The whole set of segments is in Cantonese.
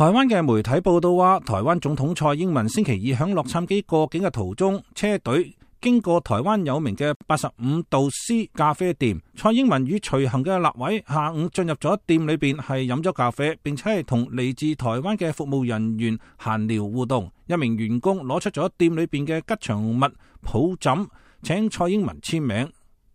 台灣嘅媒體報道話，台灣總統蔡英文星期二響洛杉磯過境嘅途中，車隊經過台灣有名嘅85度 C 咖啡店，蔡英文與隨行嘅立委下午進入咗店裏邊係飲咗咖啡，並且係同嚟自台灣嘅服務人員閒聊互動。一名員工攞出咗店裏邊嘅吉祥物抱枕，請蔡英文簽名。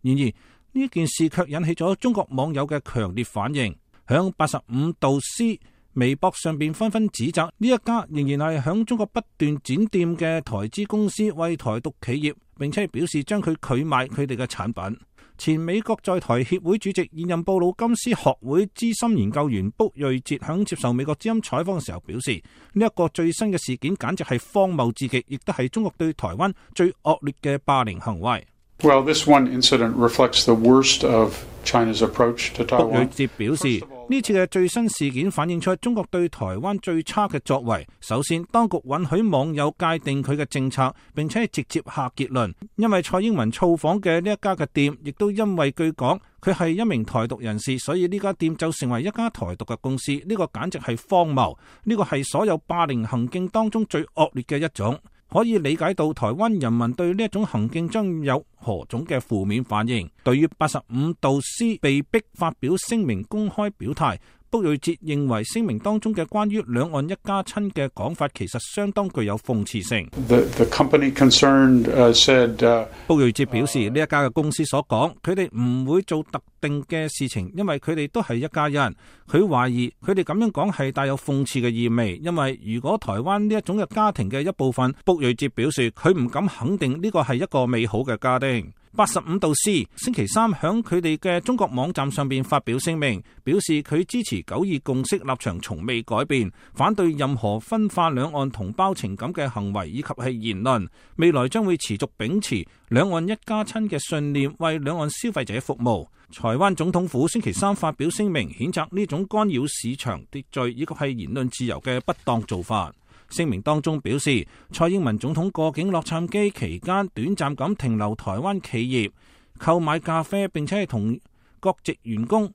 然而呢件事卻引起咗中國網友嘅強烈反應，響85度 C微博上邊紛紛指責呢一家仍然係響中國不斷展店嘅台資公司為台獨企業，並且表示將佢拒賣佢哋嘅產品。前美國在台協會主席、現任布魯金斯學會資深研究員卜瑞哲響接受美國之音採訪嘅時候表示，呢一個最新嘅事件簡直係荒謬至極，亦都係中國對台灣最惡劣嘅霸凌行為。Well, this one incident reflects the worst of China's approach to Taiwan. 卜瑞哲表示，呢次嘅最新事件反映出中國對台灣最差嘅作為。首先，當局允許網友界定佢嘅政策，並且直接下結論。因為蔡英文造訪嘅呢一家嘅店，亦都因為據講佢係一名台獨人士，所以呢家店就成為一家台獨嘅公司。呢個簡直係荒謬，呢個係所有霸凌行徑當中最惡劣嘅一種。可以理解到台灣人民對呢一種行徑將有何種嘅負面反應。對於85度 C 被逼發表聲明公開表態，卜瑞哲認為聲明當中嘅關於兩岸一家親嘅講法其實相當具有諷刺性。The company concerned said 卜瑞哲表示，呢一家嘅公司所講，佢哋唔會做特定嘅事情，因為佢哋都係一家人。佢懷疑佢哋咁樣講係帶有諷刺嘅意味，因為如果台灣呢一種嘅家庭嘅一部分，卜瑞哲表示佢唔敢肯定呢個係一個美好嘅家庭。85度 C 星期三響佢哋嘅中國網站上邊發表聲明，表示佢支持9·2共識立場從未改變，反對任何分化兩岸同胞情感嘅行為以及係言論，未來將會持續秉持兩岸一家親嘅信念，為兩岸消費者服務。台灣總統府星期三發表聲明，譴責呢種干擾市場秩序以及係言論自由嘅不當做法。聲明當中表示，蔡英文總統過境洛杉磯期間短暫咁停留台灣企業，購買咖啡，並且係同國籍員工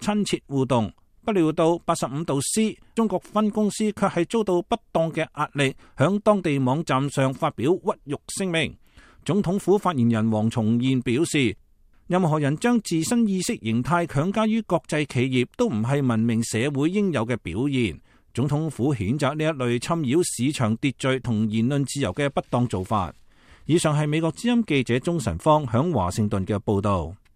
親切互動。不料到85度 C 中國分公司卻係遭到不當嘅壓力，響當地網站上發表屈辱聲明。總統府發言人黃重彥表示，任何人將自身意識形態強加於國際企業，都唔係文明社會應有嘅表現。總統府譴責呢一類侵擾市場秩序同言論自由嘅不當做法。以上係美國之音記者鍾晨芳響華盛頓嘅報道。